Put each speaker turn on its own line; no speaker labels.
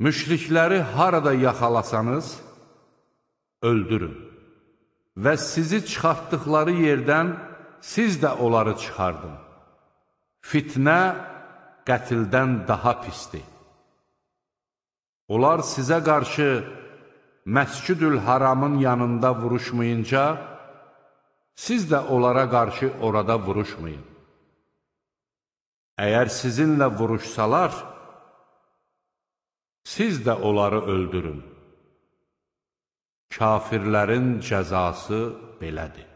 Müşrikləri harada yaxalasanız, öldürün və sizi çıxartdıqları yerdən siz də onları çıxardın. Fitnə qətildən daha pisdir. Onlar sizə qarşı Məscid-ül Haramın yanında vuruşmayınca, siz də onlara qarşı orada vuruşmayın. Əgər sizinlə vuruşsalar, siz də onları öldürün. Kafirlərin cəzası belədir.